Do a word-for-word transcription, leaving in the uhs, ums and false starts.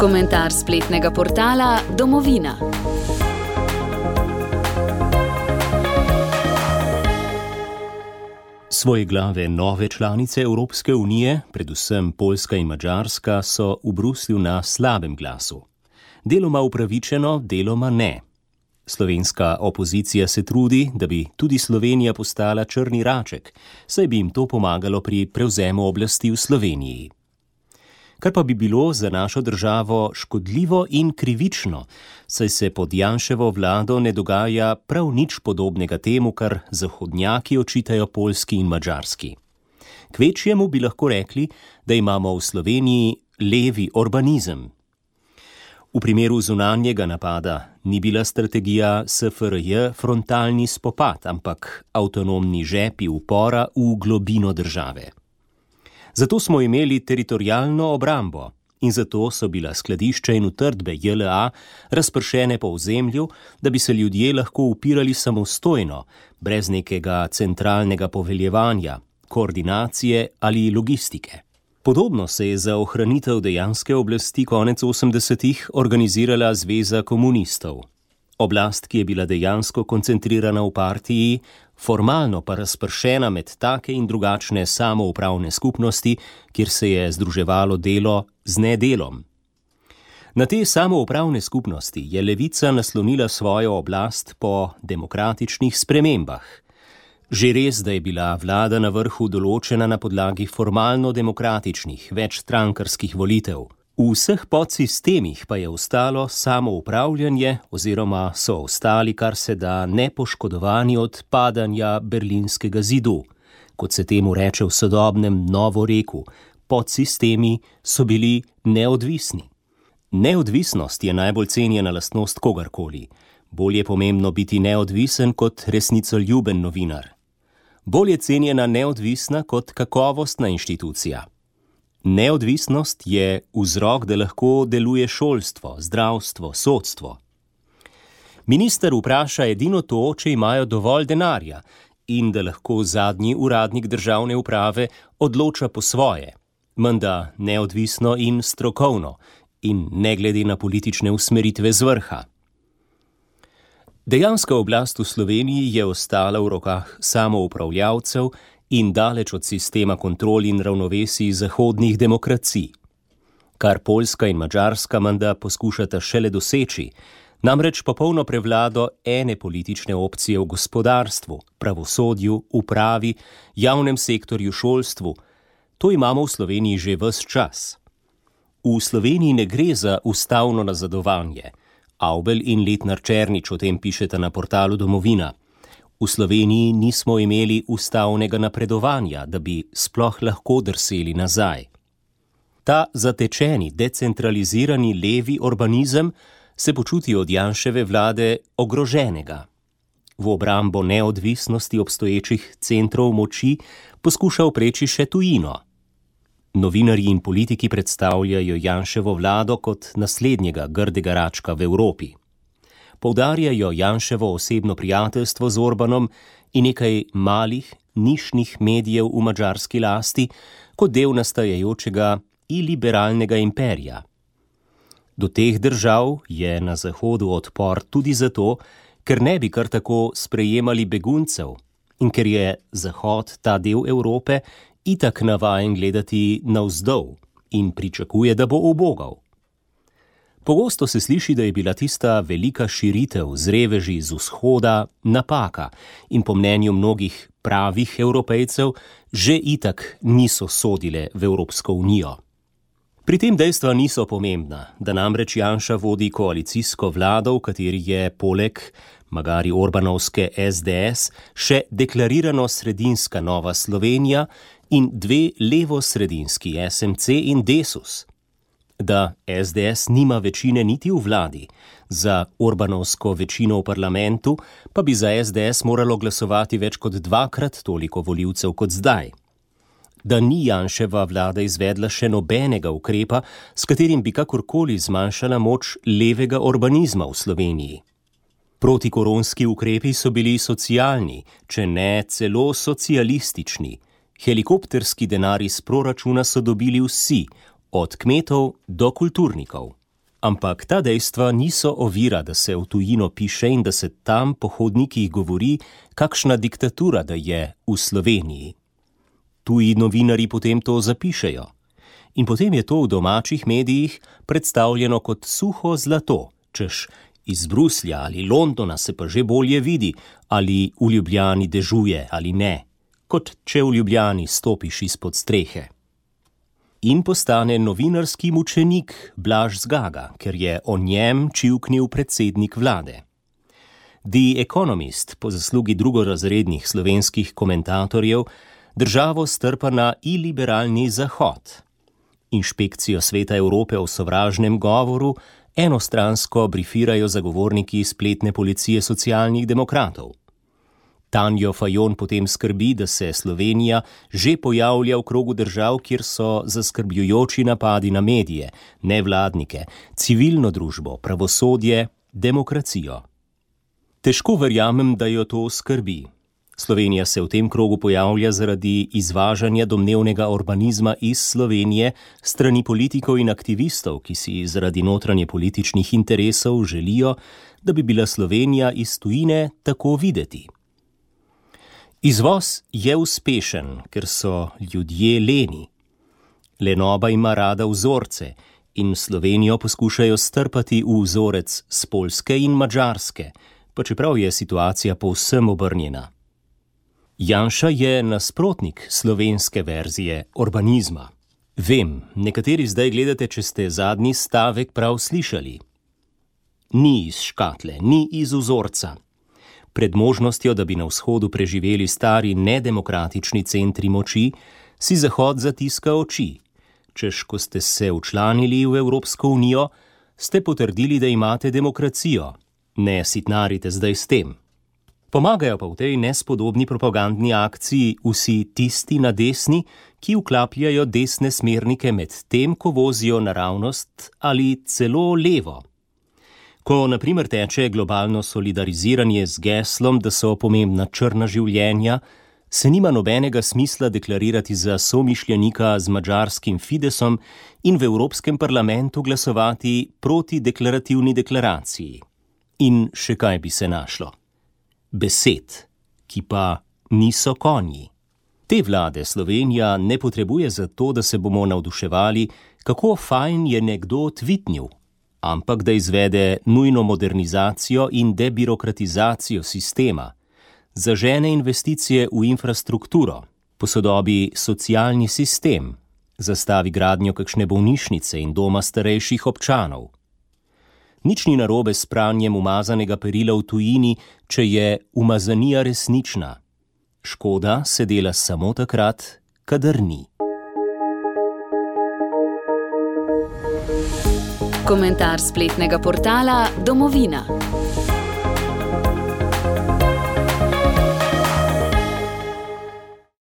Komentar spletnega portala Domovina. Svoje glave nove članice Evropske unije, predvsem Poljska in Madžarska, so v Bruslju na slabem glasu. Deloma upravičeno, deloma ne. Slovenska opozicija se trudi, da bi tudi Slovenija postala črni raček, saj bi jim to pomagalo pri prevzemu oblasti v Sloveniji. Kar pa bi bilo za našo državo škodljivo in krivično, saj se pod Janševo vlado ne dogaja prav nič podobnega temu, kar zahodnjaki očitajo Poljski in Madžarski. Kvečjemu bi lahko rekli, da imamo v Sloveniji levi urbanizem. V primeru zunanjega napada ni bila strategija S F R J frontalni spopad, ampak avtonomni žepi upora v globino države. Zato smo imeli teritorialno obrambo in zato so bila skladišča in utrdbe J L A razpršene po ozemlju, da bi se ljudje lahko upirali samostojno, brez nekega centralnega poveljevanja, koordinacije ali logistike. Podobno se je za ohranitev dejanske oblasti konec osemdesetih organizirala Zveza komunistov. Oblast, ki je bila dejansko koncentrirana v partiji, formalno pa razpršena med take in drugačne samoupravne skupnosti, kjer se je združevalo delo z nedelom. Na te samoupravne skupnosti je levica naslonila svojo oblast po demokratičnih spremembah. Že res, da je bila vlada na vrhu določena na podlagi formalno demokratičnih, večstrankarskih volitev. V vseh podsistemih pa je ostalo samoupravljanje oziroma so ostali kar se da nepoškodovani od padanja berlinskega zidu. Kot se temu reče v sodobnem novoreku, podsistemi so bili neodvisni. Neodvisnost je najbolj cenjena lastnost kogarkoli. Bolj je pomembno biti neodvisen kot resnicoljuben novinar. Bolj je cenjena neodvisna kot kakovostna inštitucija. Neodvisnost je vzrok, da lahko deluje šolstvo, zdravstvo, sodstvo. Minister vpraša edino to, če imajo dovolj denarja in da lahko zadnji uradnik državne uprave odloča po svoje, menda neodvisno in strokovno in ne glede na politične usmeritve z vrha. Dejanska oblast v Sloveniji je ostala v rokah samoupravljavcev in daleč od sistema kontrol in ravnovesij zahodnih demokracij. Kar Poljska in Madžarska menda poskušata šele doseči, namreč popolno prevlado ene politične opcije v gospodarstvu, pravosodju, upravi, javnem sektorju, šolstvu. To imamo v Sloveniji že ves čas. V Sloveniji ne gre za ustavno nazadovanje. Avbelj in Letnar Černič o tem pišeta na portalu Domovina. V Sloveniji nismo imeli ustavnega napredovanja, da bi sploh lahko drseli nazaj. Ta zatečeni, decentralizirani levi urbanizem se počuti od Janševe vlade ogroženega. V obrambo neodvisnosti obstoječih centrov moči poskuša opreči še tujino. Novinarji in politiki predstavljajo Janševo vlado kot naslednjega grdega račka v Evropi. Poudarjajo Janševo osebno prijateljstvo z Orbanom in nekaj malih, nišnih medijev v madžarski lasti kot del nastajajočega iliberalnega imperija. Do teh držav je na Zahodu odpor tudi zato, ker ne bi kar tako sprejemali beguncev in ker je Zahod, ta del Evrope, itak navajen gledati navzdol in pričakuje, da bo ubogal. Pogosto se sliši, da je bila tista velika širitev z reveži z vzhoda napaka in po mnenju mnogih pravih Evropejcev že itak niso sodile v Evropsko unijo. Pri tem dejstva niso pomembna, da namreč Janša vodi koalicijsko vlado, v kateri je poleg magari Orbanovske S D S še deklarirano sredinska Nova Slovenija in dve levosredinski S M C in Desus. Da S D S nima večine niti v vladi, za Orbanovsko večino v parlamentu pa bi za S D S moralo glasovati več kot dvakrat toliko volivcev kot zdaj. Da ni Janševa vlada izvedla še nobenega ukrepa, s katerim bi kakorkoli zmanjšala moč levega urbanizma v Sloveniji. Protikoronski ukrepi so bili socialni, če ne celo socialistični. Helikopterski denar iz proračuna so dobili vsi, od kmetov do kulturnikov. Ampak ta dejstva niso ovira, da se v tujino piše in da se tam po hodnikih govori, kakšna diktatura da je v Sloveniji. Tuji novinarji potem to zapišejo. In potem je to v domačih medijih predstavljeno kot suho zlato, češ iz Bruslja ali Londona se pa že bolje vidi, ali v Ljubljani dežuje ali ne, kot če v Ljubljani stopiš izpod strehe. In postane novinarski mučenik Blaž Zgaga, ker je o njem čivknil predsednik vlade. The Economist, po zaslugi drugorazrednih slovenskih komentatorjev, državo strpa na iliberalni zahod. Inšpekcijo Sveta Evrope o sovražnem govoru enostransko brifirajo zagovorniki spletne policije socialnih demokratov. Tanjo Fajon potem skrbi, da se Slovenija že pojavlja v krogu držav, kjer so zaskrbljujoči napadi na medije, nevladnike, civilno družbo, pravosodje, demokracijo. Težko verjamem, da jo to skrbi. Slovenija se v tem krogu pojavlja zaradi izvažanja domnevnega urbanizma iz Slovenije strani politikov in aktivistov, ki si zaradi notranje političnih interesov želijo, da bi bila Slovenija iz tujine tako videti. Izvoz je uspešen, ker so ljudje leni. Lenoba ima rada vzorce in Slovenijo poskušajo strpati v vzorec s Poljske in Madžarske, pa čeprav je situacija povsem obrnjena. Janša je nasprotnik slovenske verzije urbanizma. Vem, nekateri zdaj gledate, če ste zadnji stavek prav slišali. Ni iz škatle, ni iz vzorca. Pred možnostjo, da bi na vzhodu preživeli stari nedemokratični centri moči, si Zahod zatiska oči. Češ, ko ste se včlanili v Evropsko unijo, ste potrdili, da imate demokracijo. Ne sitnarite zdaj s tem. Pomagajo pa v tej nespodobni propagandni akciji vsi tisti na desni, ki vklapljajo desne smernike med tem, ko vozijo naravnost ali celo levo. Ko na primer teče globalno solidariziranje z geslom, da so pomembna črna življenja, se nima nobenega smisla deklarirati za somišljenika z madžarskim Fidesom in v Evropskem parlamentu glasovati proti deklarativni deklaraciji. In še kaj bi se našlo? Besed, ki pa niso konji. Te vlade Slovenija ne potrebuje zato, da se bomo navduševali, kako fajn je nekdo tvitnil, ampak da izvede nujno modernizacijo in debirokratizacijo sistema, zažene investicije v infrastrukturo, posodobi socialni sistem, zastavi gradnjo kakšne bolnišnice in doma starejših občanov. Nič ni narobe s pranjem umazanega perila v tujini, če je umazanija resnična. Škoda se dela samo takrat, kadar ni. Komentar spletnega portala Domovina.